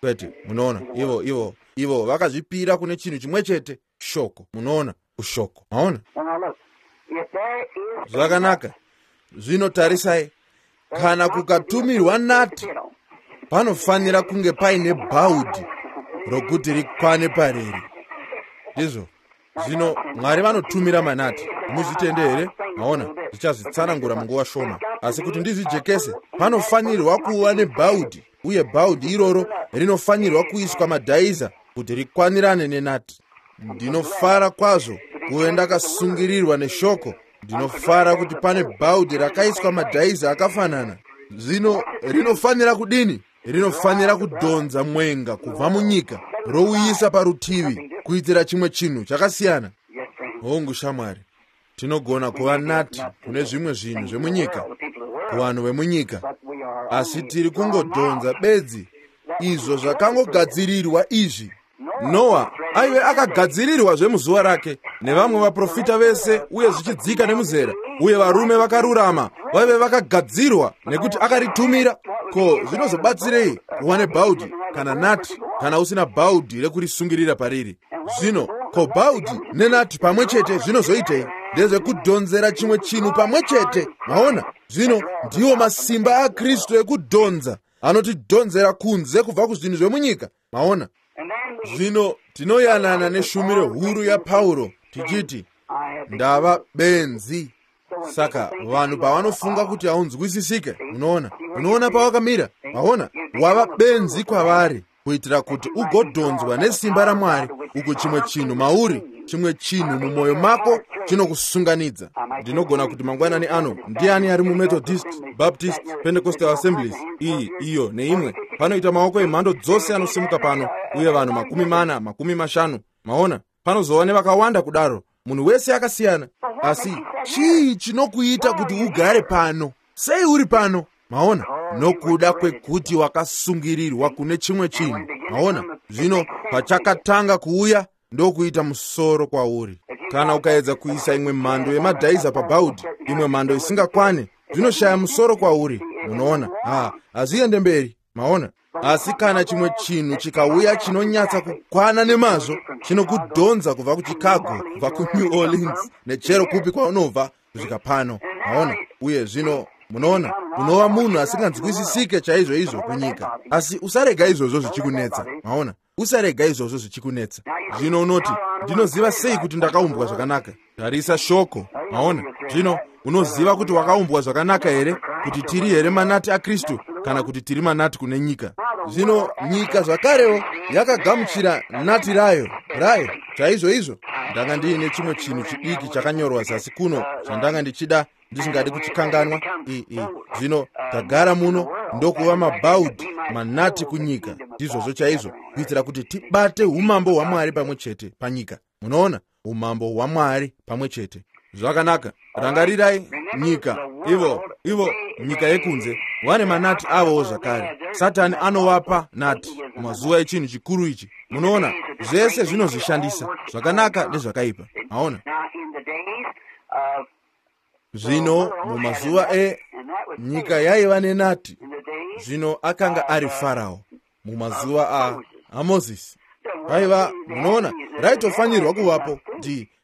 kwete. Munoona, ivo vakazvipira kune chinhu chimwe chete, shoko. Munoona, kushoko. Maona? Zvakanaka. Zvino tarisai, kana kukatumirwa nati, panofanira kunge paine bhaudhi rokuti rikwane pariri. Ndizvo. Zvino Mwari vanotumira manati. Muzvitende here? Maona, zvichazvitsanangura munguva shoma. Asi kuti ndizvijekese, panofanirwa kuva nebhaudhi, uye bhaudhi iroro rinofanirwa kuiswa madhaiza kuti rikwanirane nenati. Ndinofara kwazvo kuve ndakasungirirwa neshoko. Ndinofara kuti pane bhaudhi rakaiswa madhaiza akafanana. Zvino rinofanira kudini? Rinofanira kudhonza mwenga kubva munyika, rouyisa parutivi kuitira chimwe chinhu chakasiyana. Hongu shamwari, tinogona kuva nati kune zvimwe zvinhu zvemunyika, kuvanhu vemunyika, asi tiri kungodhonza bedzi izvo zvakangogadzirirwa izvi. Noa Aive akagadzirirwa zvemuzuva rake nevamwe vaprofita vese, uye zvichidzika nemuzera, uye varume vakarurama vaive vakagadzirwa nekuti akaritumira. Ko zvinozobatsirei kuva nebhaudhi kana nati kana usina bhaudhi rekurisungirira pariri? Zvino ko bhaudhi nenati pamwe chete zvinozoitei? Ndezvekudhonzera chimwe chinhu pamwe chete. Maona? Zvino ndiwo masimba aKristu ekudhonza, anotidhonzera kunze kubva kuzvinhu zvemunyika. Maona? Zvino tinoyanana neshumiro huru yaPauro tichiti, ndava benzi. Saka vanhu pavanofunga kuti haunzwisisike, unoona, unoona pawakamira. Maona? Wava benzi kwavari, kuitira kuti ugodhonzwa nesimba raMwari, uku chimwe chinhu mauri, chimwe chinhu mumwoyo mako chinokusunganidza. Ndinogona kuti mangwanani ano, ndiani ari muMethodist, Baptist, Pentecostal Assemblies, iyi, iyo neimwe? Panoita maoko emhando dzose anosimuka pano, uye vanhu 40, 50. Maona? Panozova nevakawanda kudaro, munhu wese akasiyana. Asi chii chinokuita kuti ugare pano? Sei uri pano? Maona? Nokuda kwekuti wakasungirirwa kune chimwe chinhu. Maona? Zvino pachakatanga kuuya ndokuita musoro kwauri. Kana ukaedza kuisa imwe mhando yemadhaiza pabhaudhi, imwe mhando isingakwane, zvinoshaya musoro kwauri. Munoona? Hazviende mberi. Maona? Asi kana chimwe chinhu chikauya chinonyatsa kukwana nemazvo, chinokudhonza kubva kuChicago, kubva kuNew Orleans, nechero kupi kwaunobva kusvika pano. Maona? Uye zvino munoona, unova munhu asinganzwisisike chaizvo izvo kunyika. Asi usarega izvozvo zvichikunetsa. Maona? Usarega izvozvo zvichikunetsa. Zvino unoti, ndinoziva sei kuti ndakaumbwa zvakanaka? Tarisa shoko. Maona? Zvino unoziva kuti wakaumbwa zvakanaka here? Kuti tiri here manati aKristu, kana kuti tiri manati kune nyika? Zvino nyika zvakarewo yakagamuchira nati rayo chaizvo izvo. Ndanga ndiine chimwe chinhu chidiki chakanyorwa zasi kuno chandanga ndichida, ndisingadi kuchikanganwa. Zvino tagara muno ndokuva mabhaudhi manati kunyika. Ndizvozvo chaizvo, kuitira kuti tibate umambo hwaMwari pamwe chete panyika. Munoona? Umambo hwaMwari pamwe chete. Zvakanaka. Rangarirai nyika, ivo nyika yekunze vane manati avowo zvakare. Satani anovapa nati mumazuva echinhu chikuru ichi. Munoona, zvese zvinozvishandisa zvakanaka nezvakaipa. Maona? Zvino mumazuva enyika yaiva nenati, zvino akanga ari Farao. Mumazuva aMozisi vaiva, munoona, raitofanirwa kuvapo.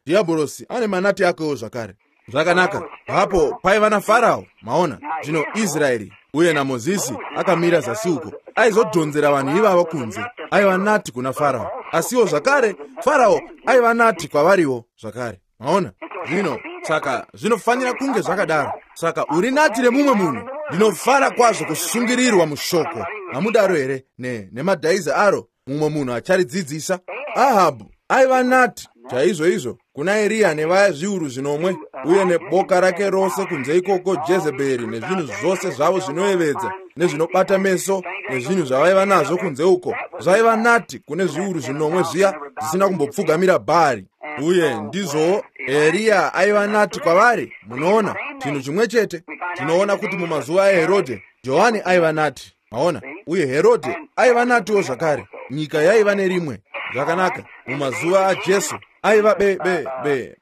Dhiabhorosi ane manati akewo zvakare. Zvakanaka. Hapo paiva naFarao. Maona? Zvino Israeri uye naMozisi akamira zasi uko, aizodhonzera vanhu ivavo kunze. Aiva nati kuna Farao, asiwo zvakare Farao aiva nati kwavariwo zvakare. Maona? Zvino saka zvinofanira kunge zvakadaro. Saka uri nati remumwe munhu. Ndinofara kwazvo kusungirirwa mushoko. Hamudaro here? Nemadhaiza aro mumwe munhu acharidzidzisa. Ahabhu aiva nati chaizvo izvo kuna Eriya nevaya zviuru zvinomwe, uye neboka rake rose kunze ikoko, Jezebheri nezvinhu zvose zvavo zvinoyevedza nezvinobata meso nezvinhu zvavaiva nazvo kunze uko, zvaiva nati kune zviuru zvinomwe zviya zvisina kumbopfugamira Bhaari. Uye ndizvo Eriya aiva nati kwavari. Munoona, chinhu chimwe chete. Tinoona kuti mumazuva aHerodhe, Johani aiva nati. Maona? Uye Herodhe aiva natiwo zvakare. Nyika yaiva nerimwe. Zvakanaka. Mumazuva aJesu aiva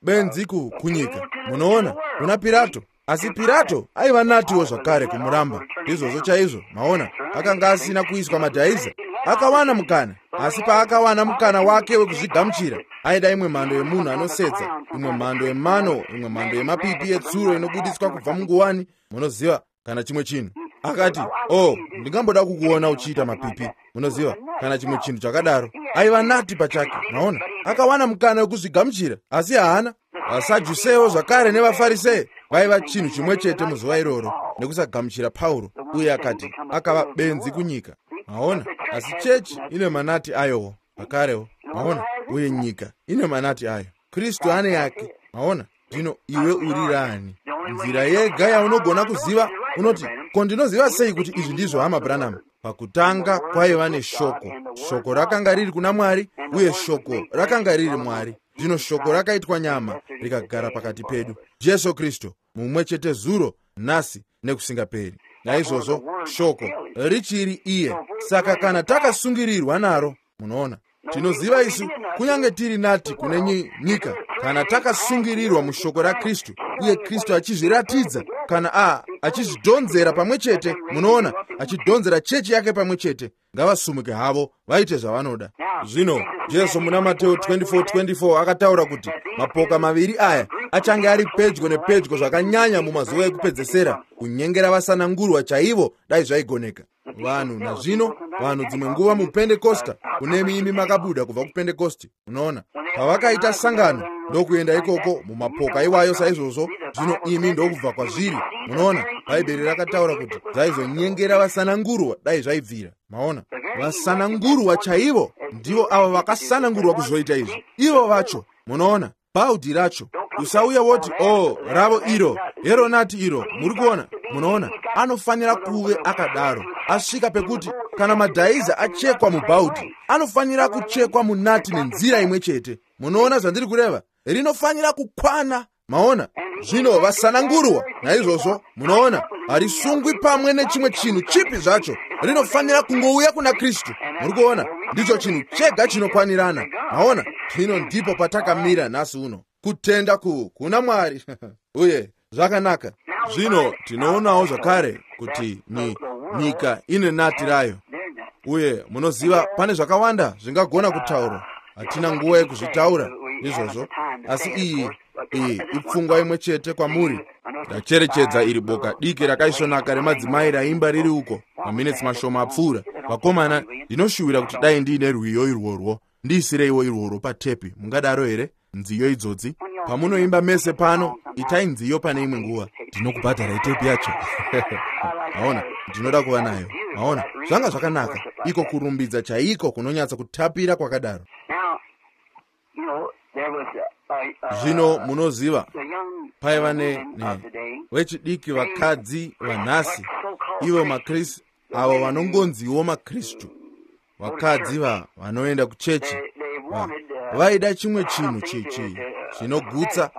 benzi kunyika. Munoona, kuna Pirato. Asi Pirato aiva natiwo zvakare kumuramba. Ndizvozvo chaizvo. Maona, akanga asina kuiswa madhaiza. Akawana mukana, asi paakawana mukana wake wekuzvigamuchira, aida imwe mhando yemunhu anosetsa, imwe mhando yemano, imwe mhando yemapipi etsuro inobudiswa kubva munguwani, munoziva, kana chimwe chinhu. Akati, oh, ndingamboda kukuona uchiita mapipi, munoziva, kana chimwe chinhu chakadaro. Aiva nati pachake. Maona, akawana mukana wekuzvigamuchira, asi haana. VaSadhusewo zvakare nevaFarisei vaiva chinhu chimwe chete muzuva iroro, nekusagamuchira Pauro, uye akati akava benzi kunyika. Maona? Asi chechi ine manati ayowo zvakarewo. Maona? Uye nyika ine manati ayo. Kristu ane yake. Maona? Zvino iwe uri rani? Nzira yega yaunogona kuziva, unoti, ko ndinoziva sei kuti izvi ndizvo hama Branham? Pakutanga kwaiva neshoko. Shoko rakanga riri kuna Mwari, uye shoko rakanga riri Mwari. Zvino shoko rakaitwa nyama rikagara pakati pedu. Jesu Kristu mumwe chete zuro, nhasi nekusingaperi. Naizvozvo shoko richiri iye. Saka kana takasungirirwa naro, munoona. Tinoziva isu, kunyange tiri nati kune nyika, kana takasungirirwa mushoko raKristu, uye Kristu achizviratidza, kana achizvidhonzera pamwe chete, munoona, achidhonzera chechi yake pamwe chete, ngavasumuke havo vaite zvavanoda. Zvino Jesu muna Mateo 24:24 akataura kuti mapoka maviri aya achange ari pedyo nepedyo zvakanyanya mumazuva ekupedzesera, kunyengera vasanangurwa chaivo dai zvaigoneka. Vanhu nazvino, vanhu dzimwe nguva muPentekosta, kunemi imi makabuda kubva kuPentekosti, munoona, pavakaita sangano ndokuenda ikoko mumapoka iwayo saizvozvo, zvino imi ndokubva kwazviri. Munoona, Bhaibheri rakataura kuti zvaizonyengera vasanangurwa dai zvaibvira. Maona, vasanangurwa chaivo ndivo avo vakasanangurwa kuzoita izvi, ivo vacho. Munoona, bhaudhi racho, usauya woti, oh, ravo iro, heronati iro. Muri kuona? Munoona, anofanira kuve akadaro, asvika pekuti kana madhaiza achekwa mubhaudhi, anofanira kuchekwa munati nenzira imwe chete. Munoona zvandiri kureva? Rinofanira kukwana. Maona? Zvino vasanangurwa naizvozvo, munoona, harisungwi pamwe nechimwe chinhu chipi zvacho, rinofanira kungouya kuna Kristu. Muri kuona? Ndicho chinhu chega chinokwanirana. Maona? Zvino ndipo patakamira nhasi uno, kutenda kuna Mwari. Uye zvakanaka. Zvino tinoonawo zvakare kuti nyika ine nati rayo, uye munoziva pane zvakawanda zvingagona kutaurwa, hatina nguva yekuzvitaura izvozvo, asi iyi ipfungwa imwe chete kwamuri. Ndacherechedza iri boka diki rakaisvonaka remadzimai raimba riri uko maminitsi mashoma apfuura. Vakomana, ndinoshuwira kuti dai ndiine rwiyo irworwo, ndiisireiwo irworwo patepi. Mungadaro here? Nziyo idzodzi pamunoimba mese pano, itai nziyo pane imwe nguva, ndinokubhadharai tepi yacho. Maona, ndinoda kuva nayo. Maona, zvanga zvakanaka iko kurumbidza chaiko kunonyatsa kutapira kwakadaro. Zvino munoziva, paiva vechidiki vakadzi vanhasi, ivo maKristu, avo vanongonziwo maKristu, vakadzi vanoenda kuchechi, vaida chimwe chinhu chinogutsa.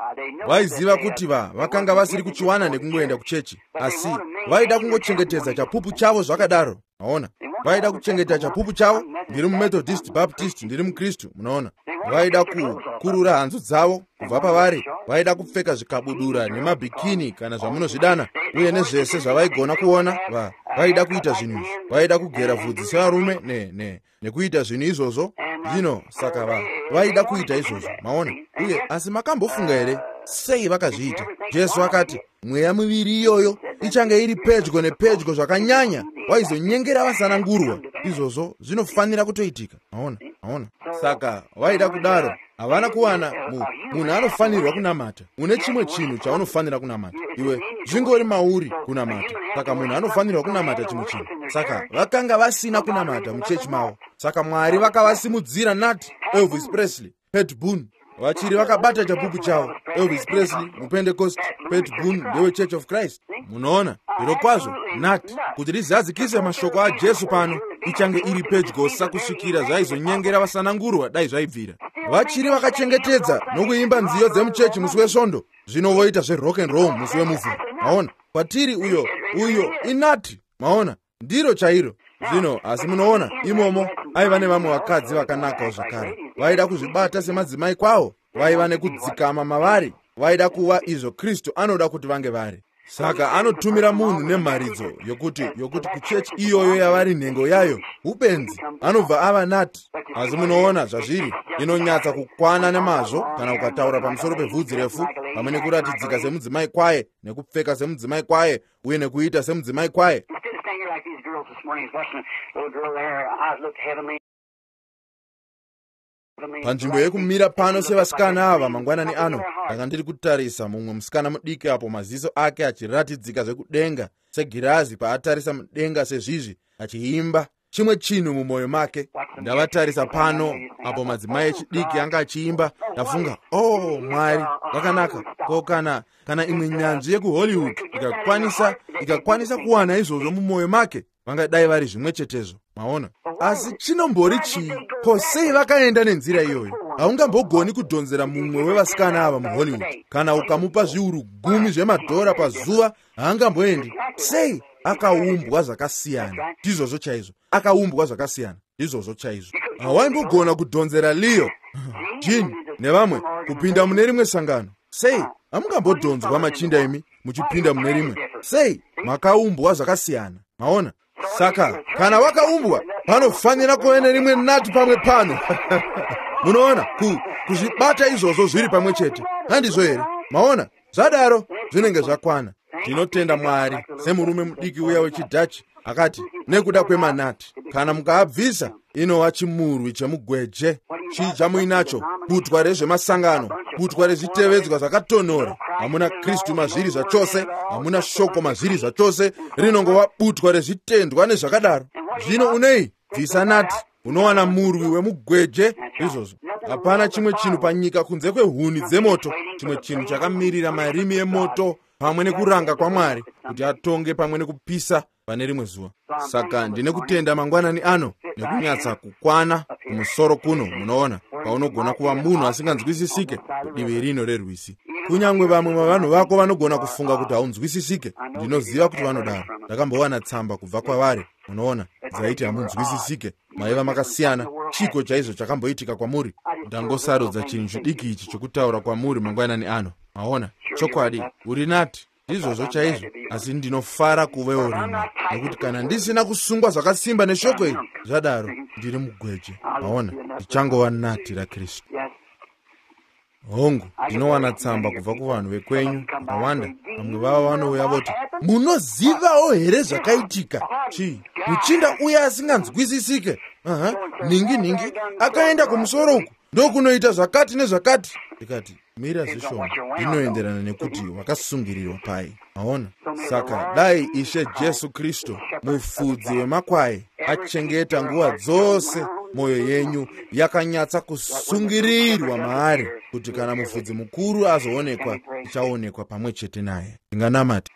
Vaiziva kuti vakanga vasiri kuchiwana nekungoenda kuchechi, asi vaida kungochengetedza chapupu chavo zvakadaro. Maona, vaida kuchengeta chapupu chavo. Ndiri muMethodist, Baptist, ndiri muKristu. Munoona, vaida kukurura hanzu dzavo kubva pavari, vaida kupfeka zvikabudura nemabhikini kana zvamunozvidana, uye nezvese zvavaigona kuona. Vaida kuita zvinhu izvi, vaida kugera vhudzi sevarume nekuita zvinhu izvozvo. Zvino saka vaida kuita izvozvo. Maona? Uye asi makambofunga here sei vakazviita? Jesu akati mweya miviri iyoyo ichange iri pedyo nepedyo zvakanyanya, waizonyengera vasanangurwa. Izvozvo zvinofanira kutoitika. Maona? Maona? Saka vaida kudaro, havana kuwana munhu anofanirwa kunamata. Une chimwe chinhu chaunofanira kunamata iwe, zvingori mauri kunamata. Saka munhu anofanirwa kunamata chimwe chinhu. Saka vakanga vasina kunamata muchechi mavo. Saka Mwari vakavasimudzira nati Elvis Presley, Pat Boone, vachiri vakabata chapupu chavo. Elvis Presley muPentecost, Pat Boone ndewe Church of Christ. Munoona, zvirokwazvo nati kuti rizadzikise mashoko aJesu pano, ichange iri pedyosa kusvikira zvaizonyengera vasanangurwa dai zvaibvira. Vachiri vakachengetedza nokuimba nziyo dzemuchechi musi wesvondo, zvino voita zverock and roll musi wemuvhuro. Maona, kwatiri uyo inati. Maona, ndiro chairo. Zvino asi munoona, imomo aiva nevamwe vakadzi vakanakawo zvakare, vaida kuzvibata semadzimai kwavo, vaiva nekudzikama mavari, vaida kuva izvo Kristu anoda kuti vange vari. Saka anotumira munhu nemharidzo yokuti kuchechi iyoyo yavari nhengo yayo upenzi, anobva ava nati. Asi munoona zvazviri, inonyatsa kukwana nemazvo kana ukataura pamusoro pevhudzi refu, pamwe nekuratidzika semudzimai kwaye, nekupfeka semudzimai kwaye, uye nekuita semudzimai kwaye. Panzvimbo yekumira pano sevasikana ava mangwanani ano, ndanga ndiri kutarisa mumwe musikana mudiki apo maziso ake achiratidzika zvekudenga segirazi paatarisa mudenga sezvizvi, achiimba chimwe chinhu mumwoyo make. Ndavatarisa pano apo madzimai echidiki anga achiimba, ndafunga, oh Mwari, vakanaka. Ko kana imwe nyanzvi yekuHollywood ikakwanisa kuwana izvozvo mumwoyo make, vangadai vari zvimwe chetezvo. Maona? Asi chinombori chii? Ko sei vakaenda nenzira iyoyo? Haungambogoni kudhonzera mumwe wevasikana ava muHollywood. Kana ukamupa zviuru 10 zvemadhora pazuva, haangamboendi. Sei? Akaumbwa zvakasiyana. Ndizvozvo chaizvo. Akaumbwa zvakasiyana. Ndizvozvo chaizvo. Hawaimbogona kudhonzera Leo, Jean nevamwe kupinda mune rimwe sangano. Sei hamungambodhonzwa machinda imi muchipinda mune rimwe? Sei makaumbwa zvakasiyana? Maona? Saka kana wakaumbwa, panofanira kuve nerimwe nati pamwe pano. Munoona, kuzvibata izvozvo zviri pamwe chete, handizvo here? Maona? Zvadaro zvinenge zvakwana. Tinotenda Mwari semurume mudiki uya wechiDhachi akati, nekuda kwemanati, kana mukaabvisa inova chimurwi chemugweje. Chii chamuinacho? Butwa rezvemasangano, butwa rezvitevedzwa zvakatonhora. Hamuna Kristu mazviri zvachose, hamuna shoko mazviri zvachose, rinongova butwa rezvitendwa nezvakadaro. Zvino unei? Bvisa nati, unowana murwi wemugweje. Izvozvo hapana chimwe chinhu panyika kunze kwehuni dzemoto, chimwe chinhu chakamirira marimi emoto pamwe nekuranga kwaMwari kuti atonge pamwe nekupisa pane rimwe zuva. Saka ndine kutenda mangwanani ano nekunyatsa kukwana kumusoro kuno, munoona, paunogona kuva munhu asinganzwisisike kudivi rino rerwizi. Kunyange vamwe vavanhu vako vanogona kufunga kuti haunzwisisike. Ndinoziva kuti vanodaro. Ndakambowana tsamba kubva kwavari, munoona, dzaiti hamunzwisisike, maiva makasiyana. Chiko chaizvo chakamboitika kwamuri? Ndangosarudza chinhu chidiki ichi chokutaura kwamuri mangwanani ano. Maona? Chokwadi, uri nati ndizvozvo chaizvo, asi ndinofara kuvewo rimwe, nekuti kana ndisina kusungwa zvakasimba neshoko iri, zvadaro ndiri mugweje. Maona? Ndichangova nati raKristu. Hongu, ndinowana tsamba kubva kuvanhu vekwenyu vakawanda. Vamwe vavo vanouya voti, munozivawo here zvakaitika? Chii? Muchinda uya asinganzwisisike, nhingi nhingi, akaenda kumusoro uku ndokunoita zvakati nezvakati. Ndikati, mira zvishoma, ndinoenderana nekuti wakasungirirwa pai. Maona? Saka dai Ishe Jesu Kristu, mufudzi wemakwai, achengeta nguva dzose mwoyo yenyu yakanyatsa kusungirirwa maari, kuti kana mufudzi mukuru azoonekwa, tichaonekwa pamwe chete naye. Tinganamata.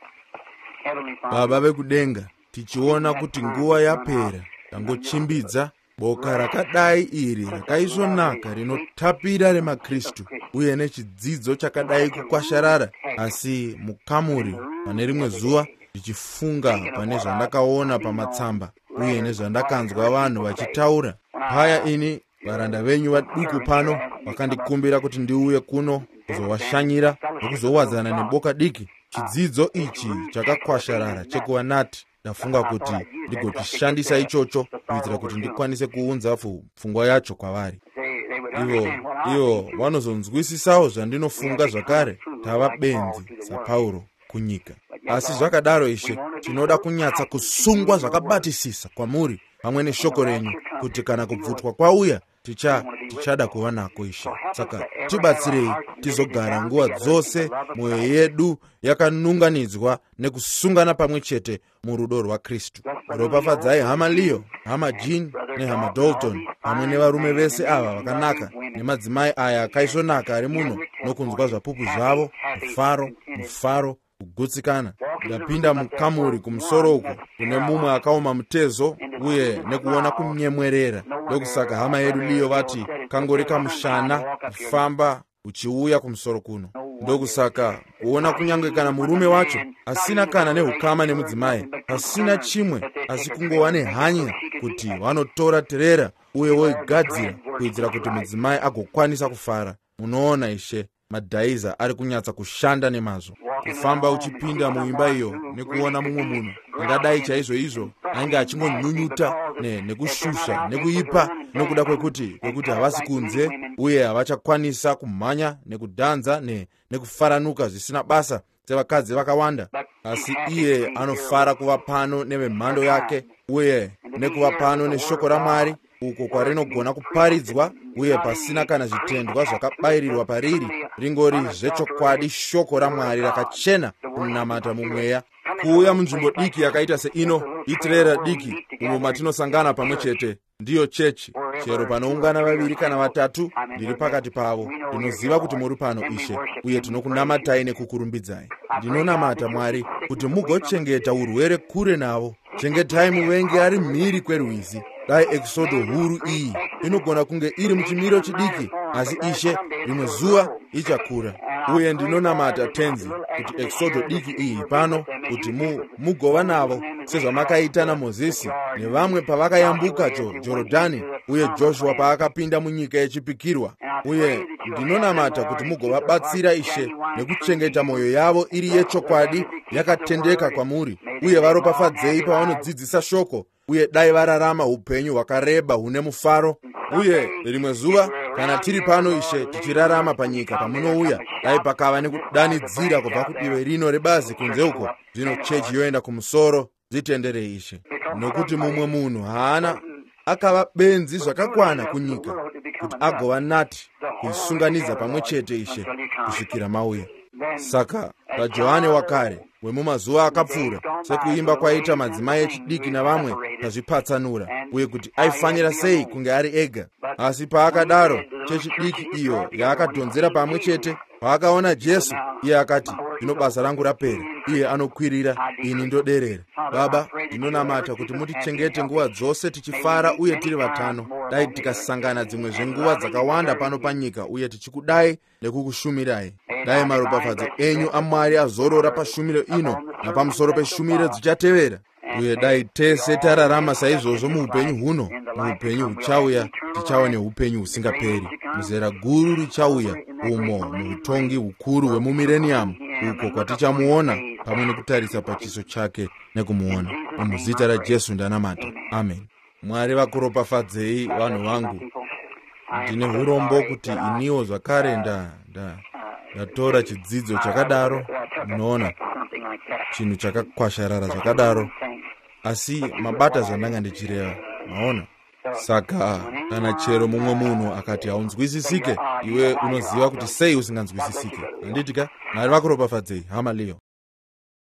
Baba vekudenga, tichiona kuti nguva yapera, tangochimbidza boka rakadai iri rakaisvonaka rinotapira remaKristu, uye nechidzidzo chakadai kukwasharara. Asi mukamuri pane rimwe zuva, ndichifunga pane zvandakaona pamatsamba uye nezvandakanzwa vanhu vachitaura paya, ini varanda venyu vaduku pano vakandikumbira kuti ndiuye kuno kuzovashanyira nokuzowadzana neboka diki. Chidzidzo ichi chakakwasharara chekuva nati, ndafunga kuti ndigochishandisa ichocho kuitira kuti ndikwanise kuunza pfungwa yacho kwavari. Ivo vanozonzwisisawo zvandinofunga zvakare. Tava benzi saPauro kunyika. Asi zvakadaro, Ishe, tinoda kunyatsa kusungwa zvakabatisisa kwamuri pamwe neshoko renyu, kuti kana kubvutwa kwauya, tichada kuva nako, Ishe. Saka tibatsirei tizogara nguva dzose mwoyo yedu yakanunganidzwa nekusungana pamwe chete murudo rwaKristu. Ropafadzai hama Leo, hama Jean nehama Dalton, pamwe nevarume vese ava vakanaka nemadzimai aya akaisvonaka ari muno, nokunzwa zvapupu zvavo, mufaro, mufaro, kugutsikana. Ndapinda mukamuri kumusoro uko kune mumwe akaoma mutezo, uye nekuona kunyemwerera. Ndokusaka hama yedu Leo vati kangori kamushana kufamba uchiuya kumusoro kuno. Ndokusaka kuona kunyange kana murume wacho asina kana neukama nemudzimai, pasina chimwe asi kungova nehanya kuti vanotora terera uye voigadzira kuitira kuti mudzimai agokwanisa kufara. Munoona, Ishe, madhaiza ari kunyatsa kushanda nemazvo. Kufamba uchipinda muimba iyo nekuona mumwe munhu angadai chaizvo izvo ainge achingonyunyuta nekushusha nekuipa nokuda kwekuti havasi kunze uye havachakwanisa kumhanya nekudhanza nekufaranuka zvisina basa sevakadzi vakawanda. Asi iye anofara kuva pano nevemhando yake uye nekuva pano neshoko raMwari, uko kwarinogona kuparidzwa uye pasina kana zvitendwa zvakabayirirwa pariri, ringori zvechokwadi shoko raMwari rakachena, kunamata mumweya. Kuuya munzvimbo diki yakaita seino, itirera diki umo matinosangana pamwe chete, ndiyo chechi. Chero panoungana vaviri kana vatatu, ndiri pakati pavo. Ndinoziva kuti muri pano, Ishe, uye tinokunamatai nekukurumbidzai. Ndinonamata, Mwari, kuti mugochengeta urwere kure navo. Chengetai muvengi ari mhiri kwerwizi. Dai ekisodo huru iyi inogona kunge iri muchimiro chidiki, asi Ishe, rimwe zuva ichakura. Uye ndinonamata, Tenzi, kuti ekisodo diki iyi pano, kuti mugova navo Sezvamakaita naMozisi nevamwe pavakayambuka Jorodhani, uye Joshua paakapinda munyika yechipikirwa. Uye ndinonamata kuti mugovabatsira, Ishe, nekuchengeta mwoyo yavo iri yechokwadi yakatendeka kwamuri, uye varopafadzei pavanodzidzisa shoko, uye dai vararama upenyu hwakareba hune mufaro. Uye rimwe zuva kana tiri pano, Ishe, tichirarama panyika pamunouya, dai pakava nekudanidzira kubva kudivi rino rebazi kunze uko, zvino chechi yoenda kumusoro. Zvitenderei, Ishe, nokuti mumwe munhu haana akava benzi zvakakwana kunyika kuti agova nati kuisunganidza pamwe chete, Ishe, kusvikira mauya. Saka paJohane wakare wemumazuva akapfuura, sekuimba kwaita madzimai echidiki navamwe tazvipatsanura, uye kuti aifanira sei kunge ari ega. Asi paakadaro, chechidiki iyo yaakadhonzera pamwe chete, paakaona Jesu, iye akati, "Zvino basa rangu rapera. Iye anokwirira, ini ndoderera." Baba, ndinonamata kuti mutichengete nguva dzose tichifara uye tiri vatano. Dai tikasangana dzimwe zvenguva dzakawanda pano panyika, uye tichikudai nekukushumirai. Dai maropafadzo enyu aMwari azorora pashumiro ino napamusoro peshumiro dzichatevera, uye dai tese tararama saizvozvo muupenyu huno. Muupenyu huchauya tichava neupenyu husingaperi, muzera guru richauya, umo muutongi hukuru hwemumireniyamu, uko kwatichamuona pamwe nekutarisa pachiso chake nekumuona. Muzita raJesu ndanamata, amen. Mwari vakuropafadzei, vanhu vangu. Ndine urombo kuti iniwo zvakare ndatora chidzidzo chakadaro, munoona, chinhu chakakwasharara zvakadaro, asi mabata zvandanga ndichireva, maona. Saka kana chero mumwe munhu akati haunzwisisike, iwe unoziva kuti sei usinganzwisisike, handiti ka? Mwari vakuropafadzei, hama Leo.